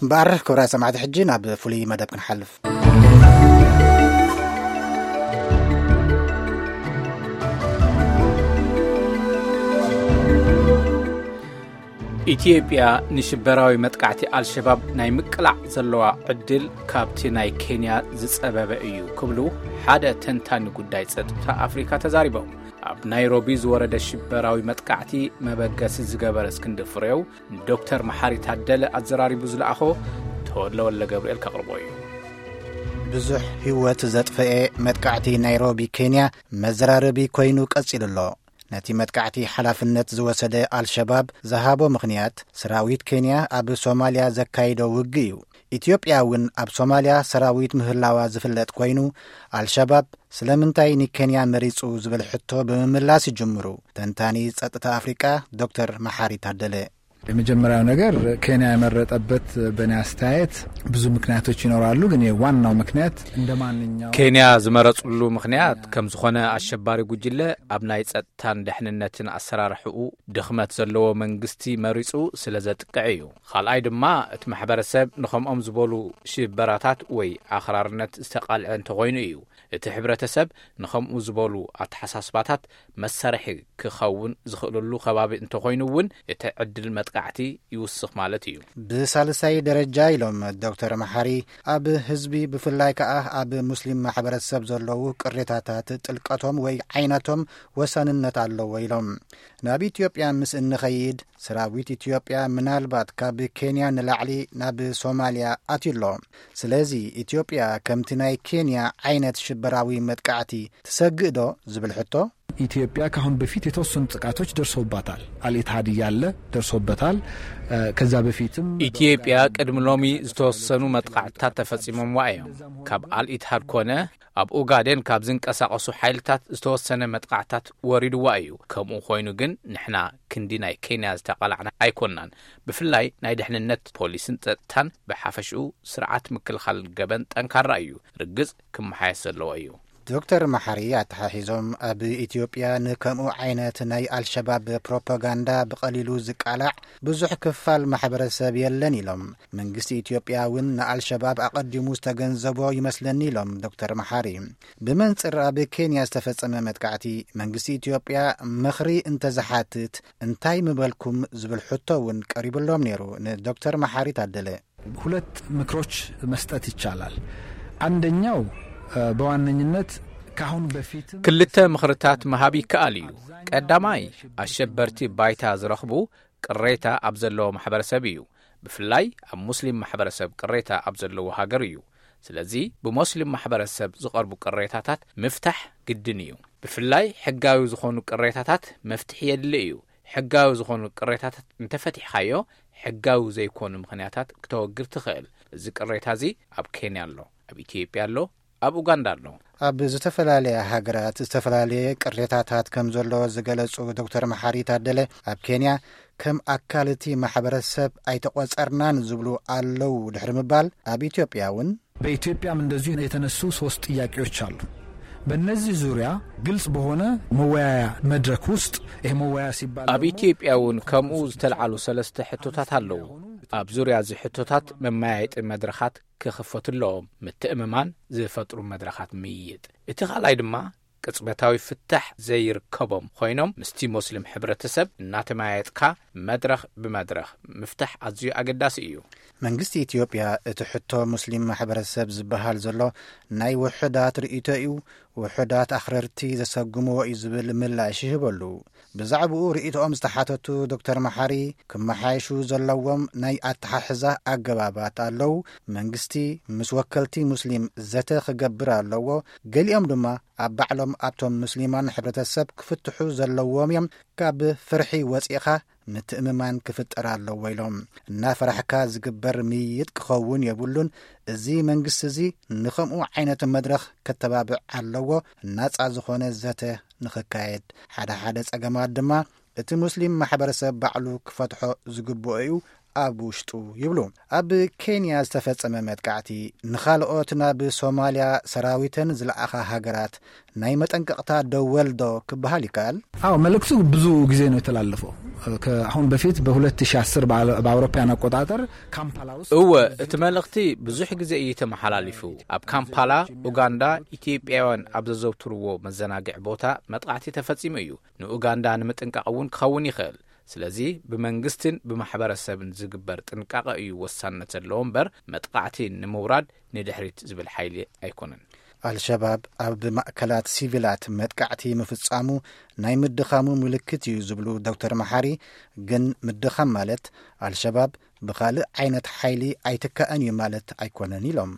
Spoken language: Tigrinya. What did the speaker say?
እምበኣር ክብራ ሰማዕቲ፣ ሕጂ ናብ ፍሉይ መደብ ክንሓልፍ። ኢትዮጵያ ንሽበራዊ መጥቃዕቲ ኣልሸባብ ናይ ምቅላዕ ዘለዋ ዕድል ካብቲ ናይ ኬንያ ዝጸበበ እዩ ክብሉ ሓደ ተንታኒ ጉዳይ ጸጥታ ኣፍሪካ ተዛሪቦም። ኣብ ናይሮቢ ዝወረደ ሽበራዊ መጥቃዕቲ መበገሲ ዝገበረ እስክንድር ፍሬው፣ ንዶክተር መሓሪ ታደለ ኣዘራሪቡ ዝለኣኾ ተወለ ወለ ገብርኤል ከቕርቦ እዩ። ብዙሕ ህይወት ዘጥፈኤ መጥቃዕቲ ናይሮቢ ኬንያ መዘራረቢ ኮይኑ ቀጺሉ ኣሎ። ነቲ መጥቃዕቲ ሓላፍነት ዝወሰደ ኣልሸባብ ዝሃቦ ምኽንያት፣ ሰራዊት ኬንያ ኣብ ሶማልያ ዘካይዶ ውግእ እዩ። ኢትዮጵያ እውን ኣብ ሶማልያ ሰራዊት ምህላዋ ዝፍለጥ ኮይኑ፣ ኣልሸባብ ስለምንታይ ንኬንያ መሪጹ ዝብል ሕቶ ብምምላስ ይጅምሩ ተንታኒ ጸጥታ ኣፍሪቃ ዶክተር መሓሪ ታደለ። የመጀመሪያው ነገር፣ ኬንያ የመረጠበት በእኔ አስተያየት ብዙ ምክንያቶች ይኖራሉ፣ ግን ዋናው ምክንያት እንደ ማንኛውም ኬንያ ዝመረጽሉ ምኽንያት ከም ዝኾነ፣ ኣሸባሪ ጉጅለ ኣብ ናይ ጸጥታን ደሕንነትን ኣሰራርሕኡ ድኽመት ዘለዎ መንግስቲ መሪጹ ስለ ዘጥቅዕ እዩ። ካልኣይ ድማ፣ እቲ ማሕበረሰብ ንኸምኦም ዝበሉ ሽበራታት ወይ ኣኽራርነት ዝተቓልዐ እንተኾይኑ እዩ። እቲ ሕብረተሰብ ንኸምኡ ዝበሉ ኣተሓሳስባታት መሳርሒ ክኸውን ዝኽእለሉ ከባቢ እንተኾይኑ እውን፣ እቲ ዕድል መጥቃዕቲ ይውስኽ ማለት እዩ። ብሳልሳይ ደረጃ ኢሎም ዶክተር መሓሪ፣ ኣብ ህዝቢ ብፍላይ ከኣ ኣብ ሙስሊም ማሕበረሰብ ዘለዉ ቅሬታታት ጥልቀቶም ወይ ዓይነቶም ወሳንነት ኣለዎ ኢሎም። ናብ ኢትዮጵያ ምስ እንኸይድ፣ ሰራዊት ኢትዮጵያ ምናልባት ካብ ኬንያ ንላዕሊ ናብ ሶማልያ ኣትዩ ኣሎ። ስለዚ ኢትዮጵያ ከምቲ ናይ ኬንያ ዓይነት ሽበራዊ መጥቃዕቲ ትሰግእ ዶ ዝብል ሕቶ፣ ኢትዮጵያ ካሁን በፊት የተወሰኑ ጥቃቶች ደርሰውባታል። አልኢትሃድ እያለ ደርሶበታል። እ፣ ከዛ በፊትም ኢትዮጵያ ቅድሚ ሎሚ ዝተወሰኑ መጥቃዕትታት ተፈጺሞምዋ እዮም። ካብ ኣልኢትሃድ ኮነ ኣብ ኡጋዴን ካብ ዝንቀሳቐሱ ሓይልታት ዝተወሰነ መጥቃዕትታት ወሪድዋ እዩ። ከምኡ ኮይኑ ግን ንሕና ክንዲ ናይ ኬንያ ዝተቓላዕና ኣይኮናን። ብፍላይ ናይ ድሕንነት ፖሊስን ጸጥታን ብሓፈሽኡ ስርዓት ምክልኻል ገበን ጠንካራ እዩ። ርግጽ ክመሓየስ ዘለዎ እዩ። ዶክተር መሓሪ ኣተሓሒዞም፣ ኣብ ኢትዮጵያ ንከምኡ ዓይነት ናይ ኣልሸባብ ፕሮፓጋንዳ ብቐሊሉ ዝቃላዕ ብዙሕ ክፋል ማሕበረሰብ የለን ኢሎም። መንግስቲ ኢትዮጵያ እውን ንኣልሸባብ ኣቐዲሙ ዝተገንዘቦ ይመስለኒ ኢሎም ዶክተር መሓሪ። ብመንጽር ኣብ ኬንያ ዝተፈጸመ መጥቃዕቲ መንግስቲ ኢትዮጵያ ምኽሪ እንተዝሓትት እንታይ ምበልኩም ዝብል ሕቶ እውን ቀሪብሎም ነይሩ ንዶክተር መሓሪ ታደለ። ሁለት ምክሮች መስጠት ይቻላል። አንደኛው፣ እ፣ በዋነኝነት ካሁን በፊትም ክልተ ምኽርታት ምሃብ ይከኣል እዩ። ቀዳማይ፣ ኣሸበርቲ ባይታ ዝረኽቡ ቅሬታ ኣብ ዘለዎ ማሕበረሰብ እዩ። ብፍላይ ኣብ ሙስሊም ማሕበረሰብ ቅሬታ ኣብ ዘለዎ ሃገር እዩ። ስለዚ ብሞስሊም ማሕበረሰብ ዝቐርቡ ቅሬታታት ምፍታሕ ግድን እዩ። ብፍላይ ሕጋዊ ዝኾኑ ቅሬታታት መፍትሒ የድሊ እዩ። ሕጋዊ ዝኾኑ ቅሬታታት እንተፈቲሕካዮ፣ ሕጋዊ ዘይኮኑ ምኽንያታት ክተወግድ ትኽእል። እዚ ቅሬታ እዚ ኣብ ኬንያ ኣሎ፣ ኣብ ኢትዮጵያ ኣሎ፣ ኣብ ኡጋንዳ ኣሎ። ኣብ ዝተፈላለያ ሃገራት ዝተፈላለየ ቅሬታታት ከም ዘሎ ዝገለጹ ዶክተር መሓሪ ታደለ፣ ኣብ ኬንያ ከም ኣካል እቲ ማሕበረሰብ ኣይተቖጸርናን ዝብሉ ኣለዉ ድሕሪ ምባል፣ ኣብ ኢትዮጵያ እውን በኢትዮጵያም እንደዚሁ የተነሱ ሶስት ጥያቄዎች አሉ። በእነዚህ ዙሪያ ግልጽ በሆነ መወያያ መድረክ ውስጥ፣ ይሄ መወያያ ሲባል ኣብ ደግሞ ኢትዮጵያ እውን ከምኡ ዝተልዓሉ ሰለስተ ሕቶታት ኣለዉ። ኣብ ዙርያ እዚ ሕቶታት መመያየጢ መድረኻት ክኽፈቱ ኣለዎም። ምትእምማን ዝፈጥሩ መድረኻት ምይይጥ። እቲ ካልኣይ ድማ ቅጽበታዊ ፍታሕ ዘይርከቦም ኮይኖም፣ ምስቲ ሞስሊም ሕብረተሰብ እናተመያየጥካ መድረኽ ብመድረኽ ምፍታሕ ኣዝዩ ኣገዳሲ እዩ። መንግስቲ ኢትዮጵያ እቲ ሕቶ ሙስሊም ማሕበረሰብ ዝበሃል ዘሎ ናይ ውሑዳት ርእይቶ እዩ፣ ውሑዳት ኣኽረርቲ ዘሰጉምዎ እዩ ዝብል ምላሽ ይህበሉ። ብዛዕባኡ ርእይቶኦም ዝተሓተቱ ዶክተር መሓሪ፣ ክመሓየሹ ዘለዎም ናይ ኣተሓሕዛ ኣገባባት ኣለዉ። መንግስቲ ምስ ወከልቲ ሙስሊም ዘተ ክገብር ኣለዎ። ገሊኦም ድማ ኣብ ባዕሎም ኣብቶም ሙስሊማን ሕብረተሰብ ክፍትሑ ዘለዎም እዮም። ካብ ፍርሒ ወፂእኻ ምትእምማን ክፍጠር ኣለዎ ኢሎም። እናፈራሕካ ዝግበር ምይይጥ ክኸውን የብሉን። እዚ መንግስቲ እዚ ንኸምኡ ዓይነት መድረኽ ከተባብዕ ኣለዎ፣ ናጻ ዝኾነ ዘተ ንኽካየድ። ሓደ ሓደ ጸገማት ድማ እቲ ሙስሊም ማሕበረሰብ ባዕሉ ክፈትሖ ዝግብኦ እዩ። ኣብ ውሽጡ ይብሉ። ኣብ ኬንያ ዝተፈጸመ መጥቃዕቲ ንኻልኦት ናብ ሶማልያ ሰራዊተን ዝለኣኻ ሃገራት ናይ መጠንቀቕታ ደወል ዶ ክበሃል ይከኣል? አዎ፣ መልእክቱ ብዙ ጊዜ ነው የተላለፈው። አሁን በፊት በ2010 በአውሮፓውያን አቆጣጠር ካምፓላ ውስጥ እወ፣ እቲ መልእኽቲ ብዙሕ ግዜ እዩ ተመሓላሊፉ። ኣብ ካምፓላ ኡጋንዳ፣ ኢትዮጵያውያን ኣብ ዘዘውትርዎ መዘናግዒ ቦታ መጥቃዕቲ ተፈጺሙ እዩ። ንኡጋንዳ ንምጥንቃቕ እውን ክኸውን ይኽእል። ስለዚ ብመንግስትን ብማሕበረሰብን ዝግበር ጥንቃቐ እዩ ወሳነት ዘለዎ እምበር፣ መጥቃዕቲ ንምውራድ ንድሕሪት ዝብል ሓይሊ ኣይኮነን። ኣልሸባብ ኣብ ማእከላት ሲቪላት መጥቃዕቲ ምፍጻሙ ናይ ምድኻሙ ምልክት እዩ ዝብሉ ዶክተር መሓሪ፣ ግን ምድኻም ማለት ኣልሸባብ ብኻልእ ዓይነት ሓይሊ ኣይትካእን እዩ ማለት ኣይኮነን ኢሎም።